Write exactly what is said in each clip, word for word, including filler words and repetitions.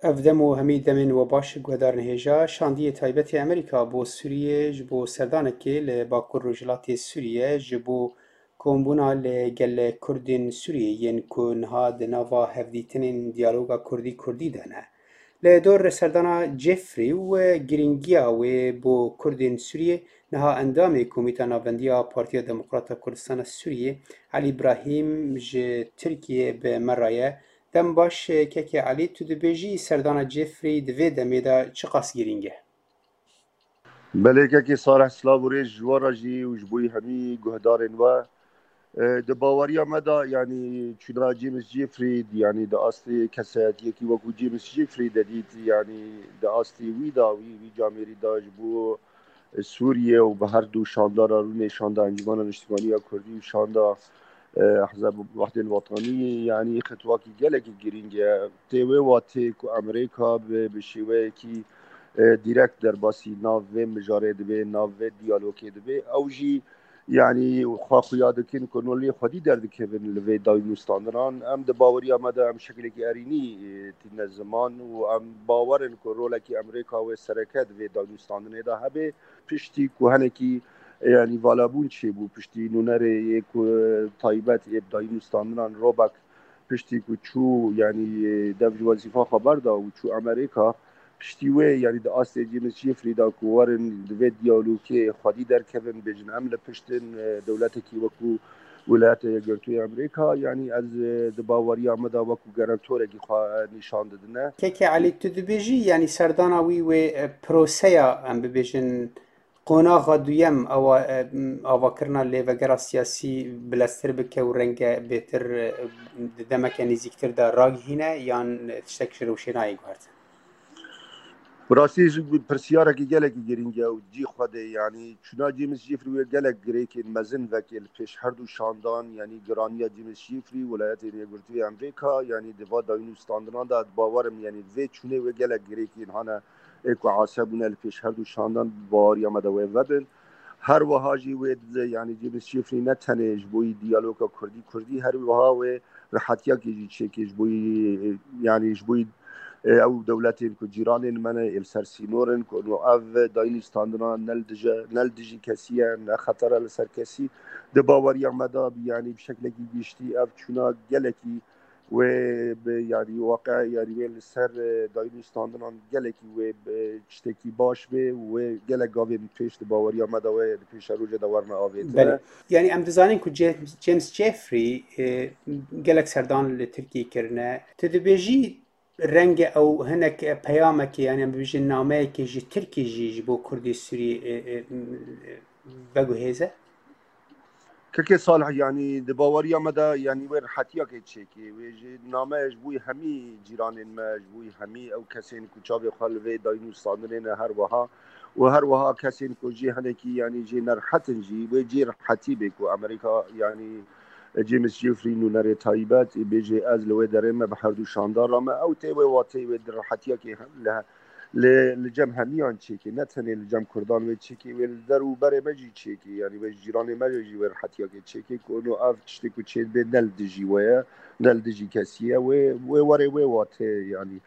Ev dem û hemî demên we baş, guhdarên hêja. Şandiyê taybet ê Amerîka bo Sûriyê ji bo serdanekê li Bakur Rojhilatê Sûriyê ji bo kombûna li gel Kurdên Sûriyê yên ku niha di nava hevdîtinên diyaloga Kurdî-Kurdî de ne. Li dor serdana Jeffrey û girîngiya wê bo Kurdên Sûriyê, niha endamê Komîta Navendî ya Partiya Demokrata Kurdistana Sûriyê, Elî Brahîm ji Tirkiyê bi me re ye. Dem baş, Kekê Elî, tu dibêjî serdana Jeffrey di vê demê de çiqas girîng e? Belê, Kekê Salih, silav û rêz ji we re jî û ji bo hemî guhdarên we. E, di baweriya me de, yanî çûna James Jeffrey, yanî di astê kesayetiyekî wekû James Jeffrey de dît, yanî di astê wî de, wî, wî camêrî de ji bo Sûriye û bi her du şandana rûnê, şanda Encûmena Niştimanî ya Kurdî û şanda, e, Ehzab Wehdên Wetanî, yanî xetwakî gelekî girîng e. Tê wê watê ku Amerîka bi, bi şêweyekî, e, dîrekt derbasî nav vê mijarê dibe, nav vê diyalogê dibe. Ew jî, yanî, xwe xuya dikin ku no lê xwedî derdikevin li vê dayîn û standinan. Em di baweriya me de em şekilekî erînî, e, tîne ziman û em bawer in ku rolekî Amerîka wê sereke di vê dayîn û standinê de hebe. Piştî ku hinekî, e, yanî, valabûn çêbû, piştî nûnerê yê ku, e, taybet ê bi dayîn û standinan Robek piştî ku çû, yanî, e, dev ji wezîfa xwe berda û çû Amerîka, piştî wê, yanî di astê James Jeffrey de ku werin di vê diyalogê xwedî derkevin, bêjin em li pişt in, e, dewletekî wekû Wilayeta Yekgirtû yê Amerîka, yanî ez, e, di baweriya me de wekû garantorekî xwe nîşan didine. Keke Elî, tu dibêjî, yanî serdana wî wê, e, proseya, em bibêjin, qonaxa duyem, ewa, e, avakirina lêvegera siyasî bileztir bike û renge bêtir, e, di demeke nêzîktir de ragihîne, yan tiştek ji rewşê nayê guhertin? Bi rastî jî pirsiyarekî gelekî girîng e û cî xwe de, yanî çûna James Jeffrey wê gelek girêkên mezin veke li pêş her du şandan, yanî giraniya James Jeffrey, Wilayetên Yekgirtû yê Amerîka, yanî di va dayîn û standinan de, ez bawer im, yanî vê çûnê wê gelek girêkên hane ê ku ase bûne li pêş her du şandan, bi baweriya me de wê vebin. Her wiha jî wê, yanî James Jeffrey ne tenê ji bo yî diyaloga Kurdî-Kurdî, her wiha wê rehetiyakê jî çêkê ji bo yî, yanî ji bo yî, e, ew dewletên ku cîranên me ne, ê li ser sînor in, ku no ev dayîn û standina ne li dije, ne li dijî kesî ye, ne xeter e li ser kesî. Di baweriya me de, yanî bi şeklekî giştî ev çûna gelekî wê bi, yanî, waqe, yanî wê li ser, e, dayîn û standinan gelekî wê bi tiştekî baş bê û wê gelek gavên pêş di baweriya me de wê di pêşerojê de werine avêtine. Belê. Yanî em dizanin ku James, James Jeffrey, e, gelek serdan li Tirkiyê kirine. Tu dibêjî renge ew hinek, e, peyamekê, yanî em bibêjin nameyekê ji Tirkî jî ji bo Kurdê Sûrî, e, e, veguhêze? Kekê Salih, yanî di baweriya me de, yanî wê rehetiyakê çêkê. Wê ji name ji bo hemî cîranên me, ji bo hemî ew kesên ku çavê xwe li vê dayîn û standinê ne her wiha û her wiha kesên ku jê hinekî, yanî jê nerehet in jî, wê cê rehetî bê ku Amerîka, yanî James Jeffrey nûnerê taybet, ê bêjê ez li wê derê me bi her du şandara me. Ew tê wê watê wê di rehetiyakê hem li li, li cem hemiyan çêkê, ne tenê li cem Kurdan wê çêkê, wê li der û berê me jî çêkê, yanî wê ji cîranê me jî wê rehetiyakê çêkê, ku no ev tiştê ku çêdibe ne li dijî we ye, ne li dijî kesî ye, wê, wê were wê watê, yanî,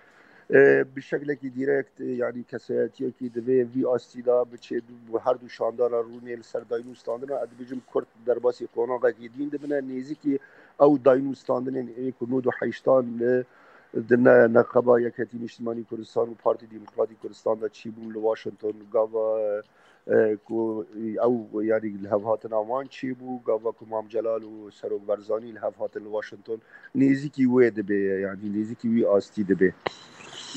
e, bi şeklekî dîrekt, e, yanî kesayetiyekî divê vî astî de biçê bi her du şandana rûnê li ser dayîn û standina, ez dibêjim Kurd derbasî qonaxekî dîn dibine, nêzîkî ew dayîn û standinên ê ku nod û heştan li di ne-, neqeba Yekhetî Niştimanî Kurdistan û Partî Demokratîk Kurdistan de çîbûn li Washington, gava, e, ku ew, yanî, li hev hatina wan çêbû, gava ku Mam Celal û Serok Barzanî li hev hatin li Washington, nêzîkî wê dibe, yanî nêzîkî wî astî dibe.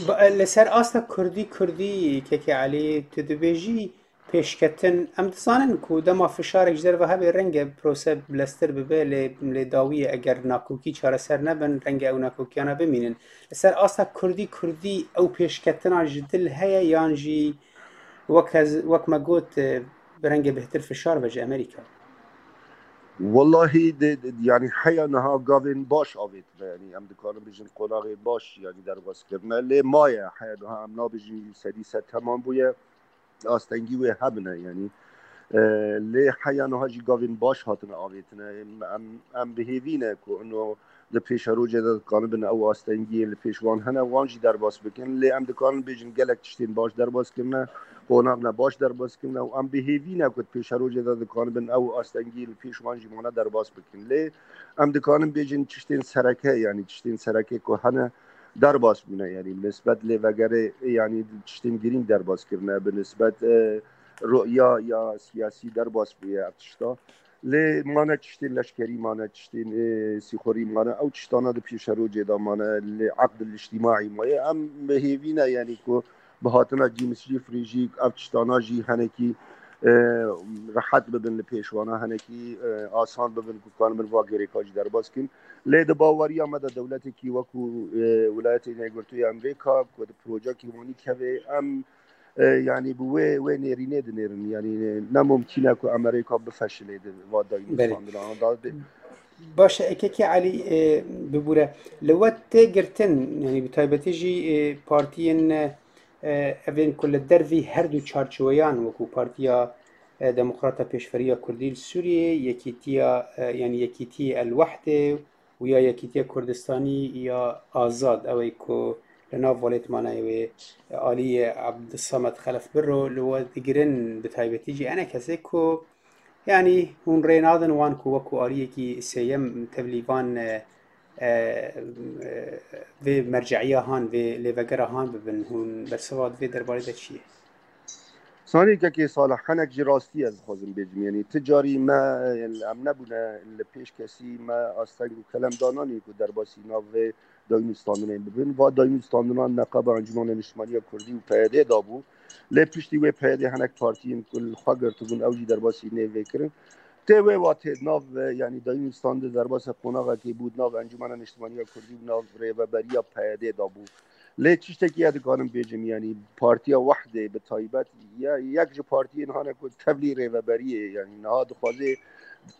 Ba-, li ser asta Kurdî, Kurdî, Keke Elî, tu dibêjî, pêşketin. Em dizanin ku dema fişarek ji derve hebe, renge prose bileztir bibe, lê, lê dawiyê eger nakokî çareser nebin, renge ew nakokiyana bimînin. Li ser asta Kurdî, Kurdî ew pêşketina ji dil heye yan jî wek ez, wek me got, e, bi renge bêhtir fişar ve ji Amerîka? Wellahî, de, de, yanî heya niha gavên baş avêtine, yanî em dikarin bêjin qonaxê baş, yanî derbas kirine. Lê maye, heya niha em nabêjin sedî sed temam bûye. Astengî wê hebine, yanî, e, lê heya niha jî gavên baş hatine avêtine. Em, em, em bi hêvî ne ku ino di pêşerojê de dikanibin ew astengiyên li pêş wan hene, wan jî derbas bikin. Lê em dikarin bêjin gelek tiştên baş derbas kirine, qonax ne baş derbas kirine û em bi hêvî ne ku di pêşerojê de dikanibin ew astengiyên li pêş wan jî mane derbas bikin. Lê em dikarin bêjin tiştên sereke, yanî tiştên sereke ku hene derbas bûne, yanî bi nisbet lêvegerê, yanî tiştên girîng derbas kirine, bi nisbet, e, ruya ya siyasî derbas bûye ev tişta. Lê mane tiştên leşkerî, mane tiştên, e, sîxurî mane, ew tiştana di pêşerojê de mane, li eqd el-îctîmaî maye. Em bi hêvî ne, yanî ku bi hatina James Jeffrey jî ev tiştana jî henekî, e, rehet bibin li pêş wana, henekî, e, asan bibin ku kanibin va gerêka jî derbas kin. Lê di baweriya me de dewletekî wekû, e, Wilayetên Yekgirtû ya Amerîka ku di projekî wanî keve, em, e, yanî bi wê, wê nêrînê dinêrin. Yanî ne mumkîn e ku Amerîka bifeşilê di va Belê. dayînûstandina. Da, Baş e, Kekê Elî, e, bibûre. Li we tê girtin, yanî bi taybetî jî, e, partiyên, e, evên ku li dervî her du çarçoweyan wekû Partiya, e, Demokrata Pêşveriya Kurdî li Sûriyê, Yekîtiya, e, yanî Yekîtiyê El Wehdê û ya Yekîtiya Kurdistanî ya Azad, ew ê ku li nav welêtmanayê wê aliyê Abdulsamed Xelef Birro li we digirin, bi taybetî jî ene kesê ku, yanî hûn rê nadin wan ku wekû aliyekî sêyem tevlî van, e, e, e, vê merce'iya han, vê lêvegera han bibin. Hûn bersiva di vê derbarê de çi ye? Sanî kekê Salih, hinek ji rastî ez dixwazim bêjim. Yanî ti carî me, em nebûne li pêş kesî me asteng û kelem dananî ku derbasî nav vê dayînûstandinê bibin. Va dayînûstandinan neqaba Encûmena Niştimaniya Kurdî û P Y D dabû. Lê piştî wê P Y D hinek partiyên ku li xwe girtibûn, ew jî derbasî nêvê kirin. Tê wê watê di nav, e, yanî dayînûstandin derbasa qonaxekê bû di nav Encûmena Niştimaniya Kurdî û nav rêveberiya P Y D dabû. Lê tiştekî ez dikarim bêjim, yanî Partiya Wehdê bi taybet ya yek ji partiyên hane ku tevlî rêveberiyê, yanî niha dixwaze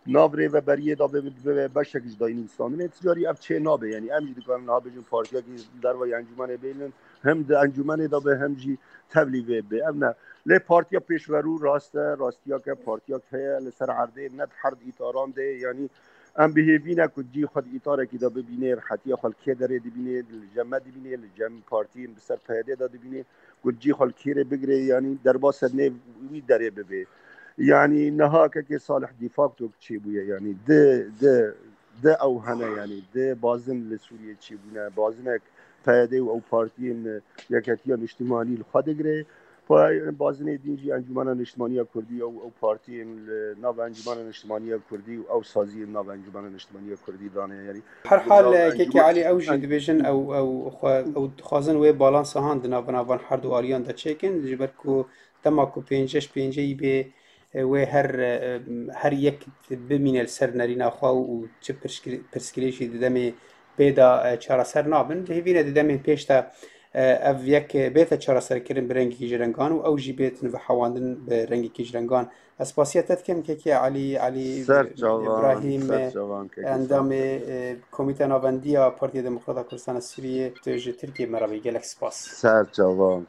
nav rêveberiyê de bibe, bibe beşek ji dayînûstandinê. Ti carî ev çê nabe, yanî em jî dikarin niha bêjin partiyekî dervayî encûmenê bênin, him di encûmenê de be, him jî tevlî vê be. Ev ne. Lê partiya pêşverû rast e, rastiyeke partiyek heye li ser erdê, ne di her di îtaran de, yanî em bi hêvî ne ku cî xwe di îtarekî de bibînê, rihetiya xwe li kê derê dibînê, li cem me dibînê, li cem partiyên bi ser P Y D de dibînê, ku cî xwe li kê re bigire, yanî derbasa nêv wî derê bibe. Yanî niha kekê Salih de facto çêbûye, yanî di, di, di ew hene, yanî di bazin li Sûriyê çêbûne, bazinek P Y D û ew partiyên Yeketiya Niştimanî li xwe digire. Pa-, bazinê din jî Encûmena Niştimaniya Kurdî û ew partiyên li nav Encûmena Niştimaniya Kurdî û ew saziyên nav Encûmena Niştimaniya Kurdî dane, yanî Her hal, nav e, Kekê encûmen-, Elî, ew jî en- dibêjin, ew, ew xwe, ew dixwazin wê balansa han di nav, nav van her du aliyan de çêkin, ji ber ku dema ku pênceh pêncehî bê, e, wê her, e, her yek bimîne li ser nerîna xwe û çi pirskir-, pirsgirêkî di demê pê de, e, çareser nabin. Di hêvî ne di demên pêş de, e, ev yek bête çareserkirin bi rengekî ji rengan û ew jî bêtin vehewandin bi rengekî ji rengan. Ez spasiya te dikim, Kekê Elî, Elî Ser çavan, Îbrahîm, ser çavan, Kekê endamê, Salih. e, Komîteya Navendiya Partiya Demokrata Kurdistana Sûriyê, tu ji Tirkiyê me re bî. Gelek spas. Ser çavan.